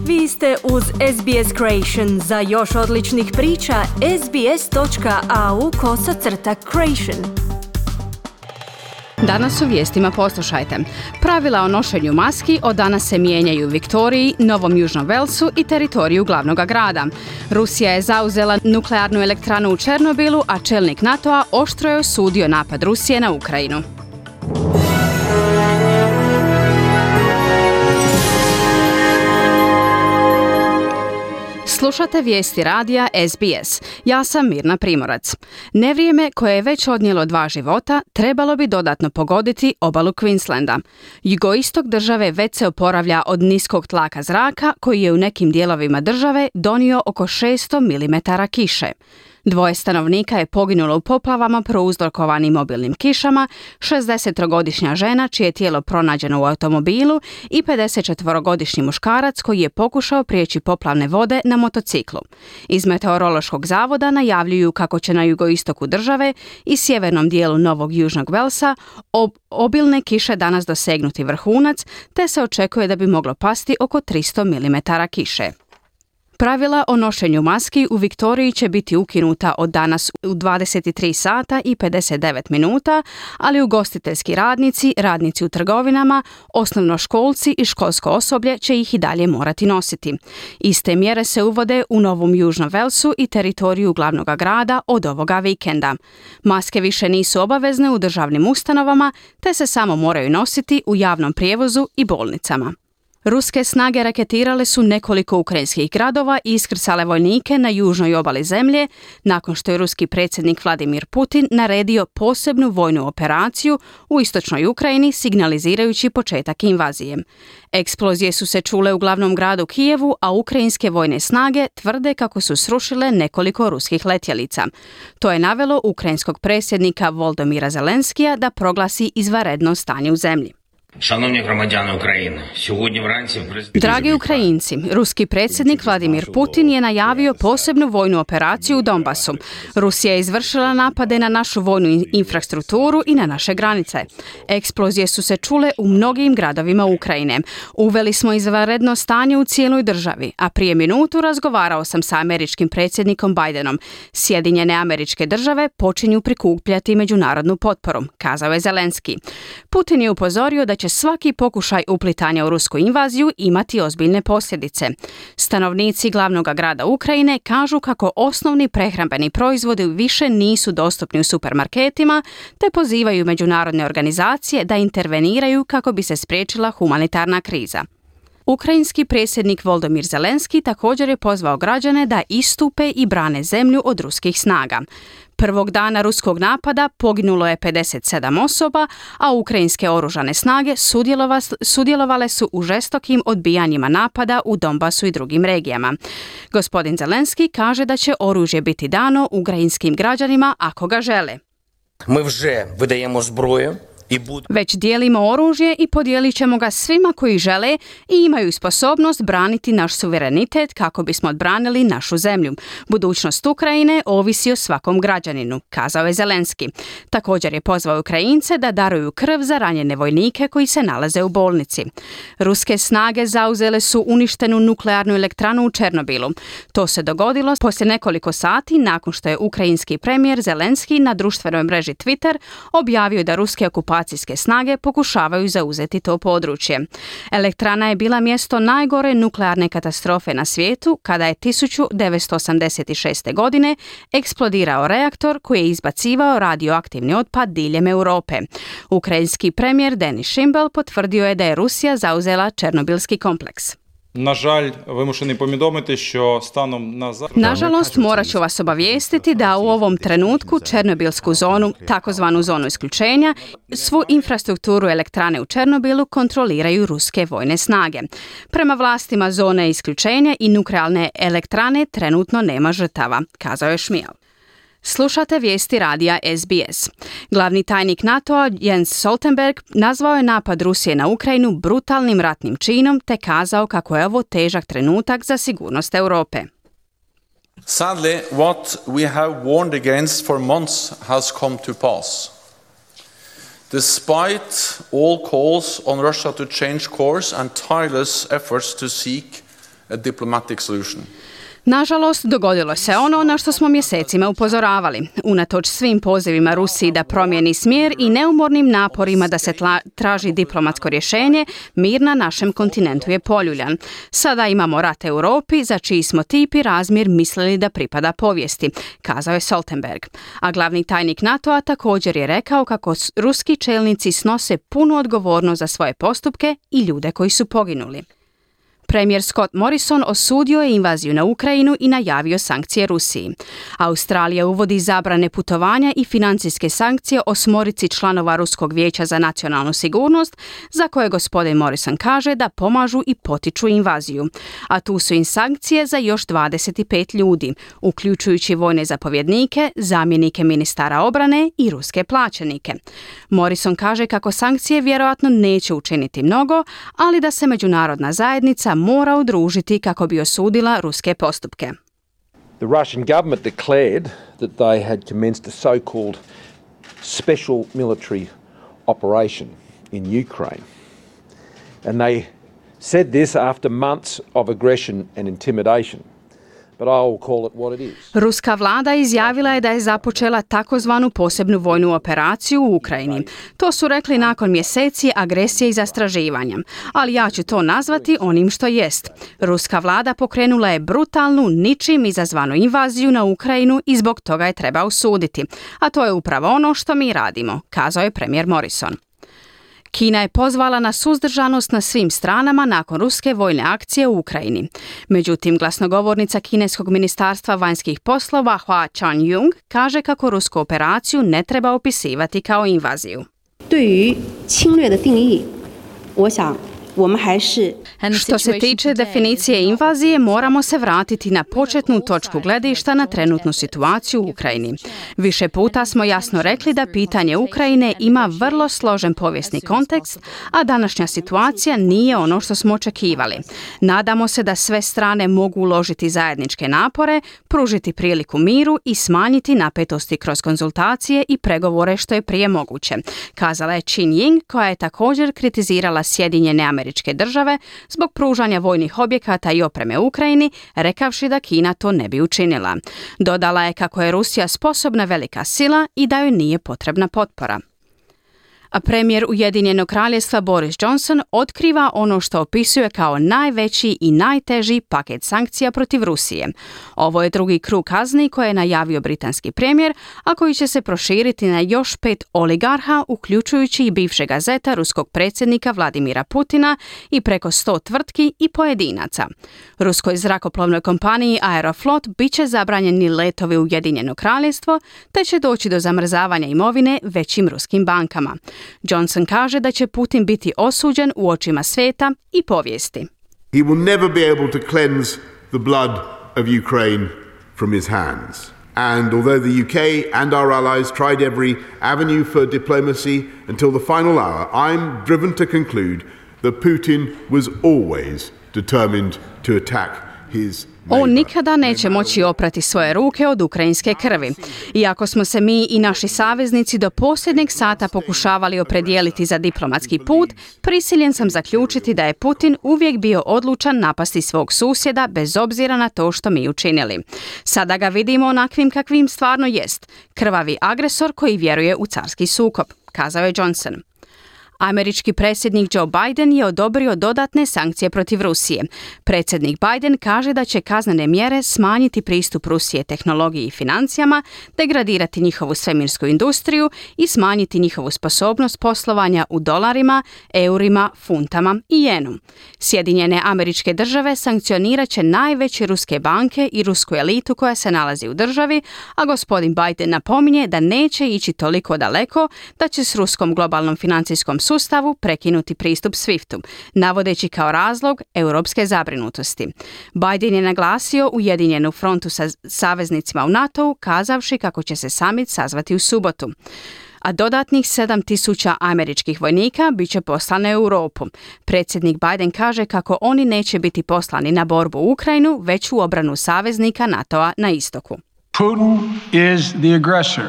Vi ste uz SBS Creation. Za još odličnih priča, sbs.au/creation. Danas u vijestima poslušajte. Pravila o nošenju maski od danas se mijenjaju u Viktoriji, Novom Južnom Velsu i teritoriju glavnog grada. Rusija je zauzela nuklearnu elektranu u Černobilu, a čelnik NATO-a oštro je osudio napad Rusije na Ukrajinu. Slušate vijesti radija SBS. Ja sam Mirna Primorac. Nevrijeme koje je već odnijelo 2 života trebalo bi dodatno pogoditi obalu Queenslanda. Jugoistok države već se oporavlja od niskog tlaka zraka koji je u nekim dijelovima države donio oko 600 mm kiše. 2 stanovnika je poginulo u poplavama prouzrokovanim obilnim kišama, 63-godišnja žena čije je tijelo pronađeno u automobilu i 54-godišnji muškarac koji je pokušao prijeći poplavne vode na motociklu. Iz Meteorološkog zavoda najavljuju kako će na jugoistoku države i sjevernom dijelu Novog Južnog Velsa obilne kiše danas dosegnuti vrhunac, te se očekuje da bi moglo pasti oko 300 mm kiše. Pravila o nošenju maski u Viktoriji će biti ukinuta od danas u 23 sata i 59 minuta, ali ugostiteljski radnici, radnici u trgovinama, osnovnoškolci i školsko osoblje će ih i dalje morati nositi. Iste mjere se uvode u Novom Južnom Velsu i teritoriju glavnog grada od ovoga vikenda. Maske više nisu obavezne u državnim ustanovama, te se samo moraju nositi u javnom prijevozu i bolnicama. Ruske snage raketirale su nekoliko ukrajinskih gradova i iskrcale vojnike na južnoj obali zemlje nakon što je ruski predsjednik Vladimir Putin naredio posebnu vojnu operaciju u istočnoj Ukrajini signalizirajući početak invazije. Eksplozije su se čule u glavnom gradu Kijevu, a ukrajinske vojne snage tvrde kako su srušile nekoliko ruskih letjelica. To je navelo ukrajinskog predsjednika Volodymyra Zelenskija da proglasi izvanredno stanje u zemlji. Dragi Ukrajinci, ruski predsjednik Vladimir Putin je najavio posebnu vojnu operaciju u Donbasu. Rusija je izvršila napade na našu vojnu infrastrukturu i na naše granice. Eksplozije su se čule u mnogim gradovima Ukrajine. Uveli smo izvanredno stanje u cijeloj državi, a prije minutu razgovarao sam sa američkim predsjednikom Bidenom. Sjedinjene Američke Države počinju prikupljati međunarodnu potporu, kazao je Zelenski. Putin je upozorio da će svaki pokušaj uplitanja u rusku invaziju imati ozbiljne posljedice. Stanovnici glavnog grada Ukrajine kažu kako osnovni prehrambeni proizvodi više nisu dostupni u supermarketima, te pozivaju međunarodne organizacije da interveniraju kako bi se spriječila humanitarna kriza. Ukrajinski predsjednik Volodymyr Zelenski također je pozvao građane da istupe i brane zemlju od ruskih snaga. Prvog dana ruskog napada poginulo je 57 osoba, a ukrajinske oružane snage sudjelovale su u žestokim odbijanjima napada u Donbasu i drugim regijama. Gospodin Zelenski kaže da će oružje biti dano ukrajinskim građanima ako ga žele. Mi вже видаємо зброю. Već dijelimo oružje i podijelit ćemo ga svima koji žele i imaju sposobnost braniti naš suverenitet kako bismo odbranili našu zemlju. Budućnost Ukrajine ovisi o svakom građaninu, kazao je Zelenski. Također je pozvao Ukrajince da daruju krv za ranjene vojnike koji se nalaze u bolnici. Ruske snage zauzele su uništenu nuklearnu elektranu u Černobilu. To se dogodilo poslije nekoliko sati nakon što je ukrajinski premijer Zelenski na društvenoj mreži Twitter objavio da ruske okupacijske snage pokušavaju zauzeti to područje. Elektrana je bila mjesto najgore nuklearne katastrofe na svijetu kada je 1986. godine eksplodirao reaktor koji je izbacivao radioaktivni otpad diljem Europe. Ukrajinski premijer Denis Šimbel potvrdio je da je Rusija zauzela Černobilski kompleks. Nažalost, morat ću vas obavijestiti da u ovom trenutku Černobilsku zonu, takozvanu zonu isključenja, svu infrastrukturu elektrane u Černobilu kontroliraju ruske vojne snage. Prema vlastima zone isključenja i nuklearne elektrane trenutno nema žrtava, kazao je Šmijel. Slušate vijesti radija SBS. Glavni tajnik NATO-a Jens Stoltenberg nazvao je napad Rusije na Ukrajinu brutalnim ratnim činom te kazao kako je ovo težak trenutak za sigurnost Europe. Sadly, what we have warned against for months has come to pass. Despite all calls on Russia to change course and tireless efforts to seek a diplomatic solution. Nažalost, dogodilo se ono na što smo mjesecima upozoravali. Unatoč svim pozivima Rusiji da promijeni smjer i neumornim naporima da se traži diplomatsko rješenje, mir na našem kontinentu je poljuljan. Sada imamo rat Europi za čiji smo tip i razmjer mislili da pripada povijesti, kazao je Stoltenberg. A glavni tajnik NATO-a također je rekao kako ruski čelnici snose punu odgovornost za svoje postupke i ljude koji su poginuli. Premijer Scott Morrison osudio je invaziju na Ukrajinu i najavio sankcije Rusiji. Australija uvodi zabrane putovanja i financijske sankcije 8 članova Ruskog vijeća za nacionalnu sigurnost, za koje gospodin Morrison kaže da pomažu i potiču invaziju. A tu su i sankcije za još 25 ljudi, uključujući vojne zapovjednike, zamjenike ministara obrane i ruske plaćenike. Morrison kaže kako sankcije vjerojatno neće učiniti mnogo, ali da se međunarodna zajednica mora udružiti kako bi osudila ruske postupke. The Russian government declared that they had commenced a so-called special military operation in Ukraine. And they said this after months of aggression and intimidation. But I'll call it what it is. Ruska vlada izjavila je da je započela takozvanu posebnu vojnu operaciju u Ukrajini. To su rekli nakon mjeseci agresije i zastraživanja. Ali ja ću to nazvati onim što jest. Ruska vlada pokrenula je brutalnu, ničim izazvanu invaziju na Ukrajinu i zbog toga je treba osuditi. A to je upravo ono što mi radimo, kazao je premijer Morrison. Kina je pozvala na suzdržanost na svim stranama nakon ruske vojne akcije u Ukrajini. Međutim, glasnogovornica kineskog ministarstva vanjskih poslova Hua Chunying kaže kako rusku operaciju ne treba opisivati kao invaziju. Što se tiče definicije invazije, moramo se vratiti na početnu točku gledišta na trenutnu situaciju u Ukrajini. Više puta smo jasno rekli da pitanje Ukrajine ima vrlo složen povijesni kontekst, a današnja situacija nije ono što smo očekivali. Nadamo se da sve strane mogu uložiti zajedničke napore, pružiti priliku miru i smanjiti napetosti kroz konzultacije i pregovore što je prije moguće, kazala je Chunying, koja je također kritizirala Sjedinjene Američke Države zbog pružanja vojnih objekata i opreme Ukrajini, rekavši da Kina to ne bi učinila. Dodala je kako je Rusija sposobna velika sila i da joj nije potrebna potpora. A premijer Ujedinjenog kraljevstva Boris Johnson otkriva ono što opisuje kao najveći i najteži paket sankcija protiv Rusije. Ovo je drugi krug kazni koje je najavio britanski premijer, a koji će se proširiti na još 5 oligarha, uključujući i bivšega zeta ruskog predsjednika Vladimira Putina i preko 100 tvrtki i pojedinaca. Ruskoj zrakoplovnoj kompaniji Aeroflot bit će zabranjeni letovi u Ujedinjeno kraljevstvo, te će doći do zamrzavanja imovine većim ruskim bankama. Johnson kaže da će Putin biti osuđen u očima svijeta i povijesti. He will never be able to cleanse the blood of Ukraine from his hands. And although the UK and our allies tried every avenue for diplomacy until the final hour, I'm driven to conclude that Putin was always determined to attack his On nikada neće moći oprati svoje ruke od ukrajinske krvi. Iako smo se mi i naši saveznici do posljednjeg sata pokušavali opredijeliti za diplomatski put, prisiljen sam zaključiti da je Putin uvijek bio odlučan napasti svog susjeda bez obzira na to što mi učinili. Sada ga vidimo onakvim kakvim stvarno jest, krvavi agresor koji vjeruje u carski sukob, kazao je Johnson. Američki predsjednik Joe Biden je odobrio dodatne sankcije protiv Rusije. Predsjednik Biden kaže da će kaznene mjere smanjiti pristup Rusije tehnologiji i financijama, degradirati njihovu svemirsku industriju i smanjiti njihovu sposobnost poslovanja u dolarima, eurima, funtama i jenu. Sjedinjene Američke Države sankcionirat će najveće ruske banke i rusku elitu koja se nalazi u državi, a gospodin Biden napominje da neće ići toliko daleko da će s ruskom globalnom financijskom sustavu prekinuti pristup SWIFT-u, navodeći kao razlog europske zabrinutosti. Biden je naglasio ujedinjenu frontu sa saveznicima u NATO-u, kazavši kako će se summit sazvati u subotu. A dodatnih 7.000 američkih vojnika bit će poslane u Europu. Predsjednik Biden kaže kako oni neće biti poslani na borbu u Ukrajinu, već u obranu saveznika NATO-a na istoku. Putin is the aggressor.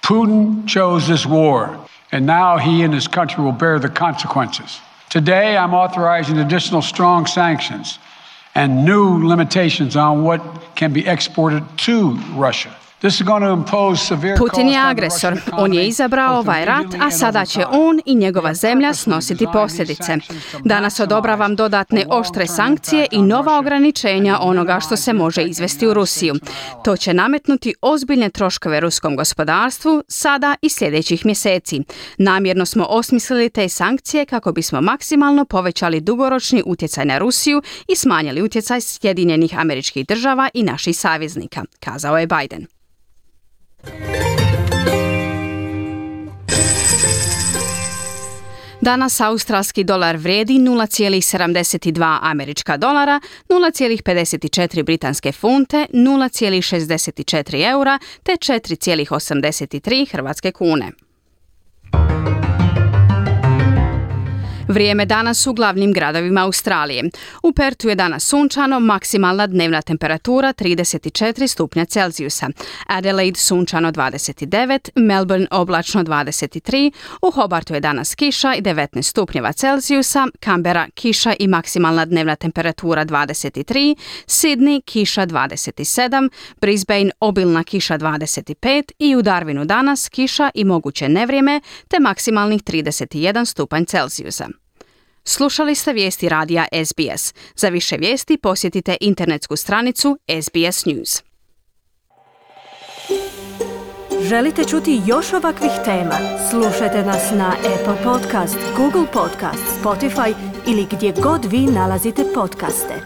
Putin chose this war. And now he and his country will bear the consequences. Today, I'm authorizing additional strong sanctions and new limitations on what can be exported to Russia. Putin je agresor. On je izabrao ovaj rat, a sada će on i njegova zemlja snositi posljedice. Danas odobravam dodatne oštre sankcije i nova ograničenja onoga što se može izvesti u Rusiju. To će nametnuti ozbiljne troškove ruskom gospodarstvu sada i sljedećih mjeseci. Namjerno smo osmislili te sankcije kako bismo maksimalno povećali dugoročni utjecaj na Rusiju i smanjili utjecaj Sjedinjenih Američkih Država i naših saveznika, kazao je Biden. Danas australski dolar vrijedi 0,72 američka dolara, 0,54 britanske funte, 0,64 eura te 4,83 hrvatske kune. Vrijeme danas u glavnim gradovima Australije. U Pertu je danas sunčano, maksimalna dnevna temperatura 34 stupnja Celzijusa. Adelaide sunčano 29, Melbourne oblačno 23, u Hobartu je danas kiša i 19 stupnjeva Celzijusa, Canberra kiša i maksimalna dnevna temperatura 23, Sydney kiša 27, Brisbane obilna kiša 25 i u Darwinu danas kiša i moguće nevrijeme te maksimalnih 31 stupanj Celzijusa. Slušali ste vijesti radija SBS. Za više vijesti posjetite internetsku stranicu SBS News. Želite čuti još ovakvih tema? Slušajte nas na Apple Podcast, Google Podcast, Spotify ili gdje god vi nalazite podcaste.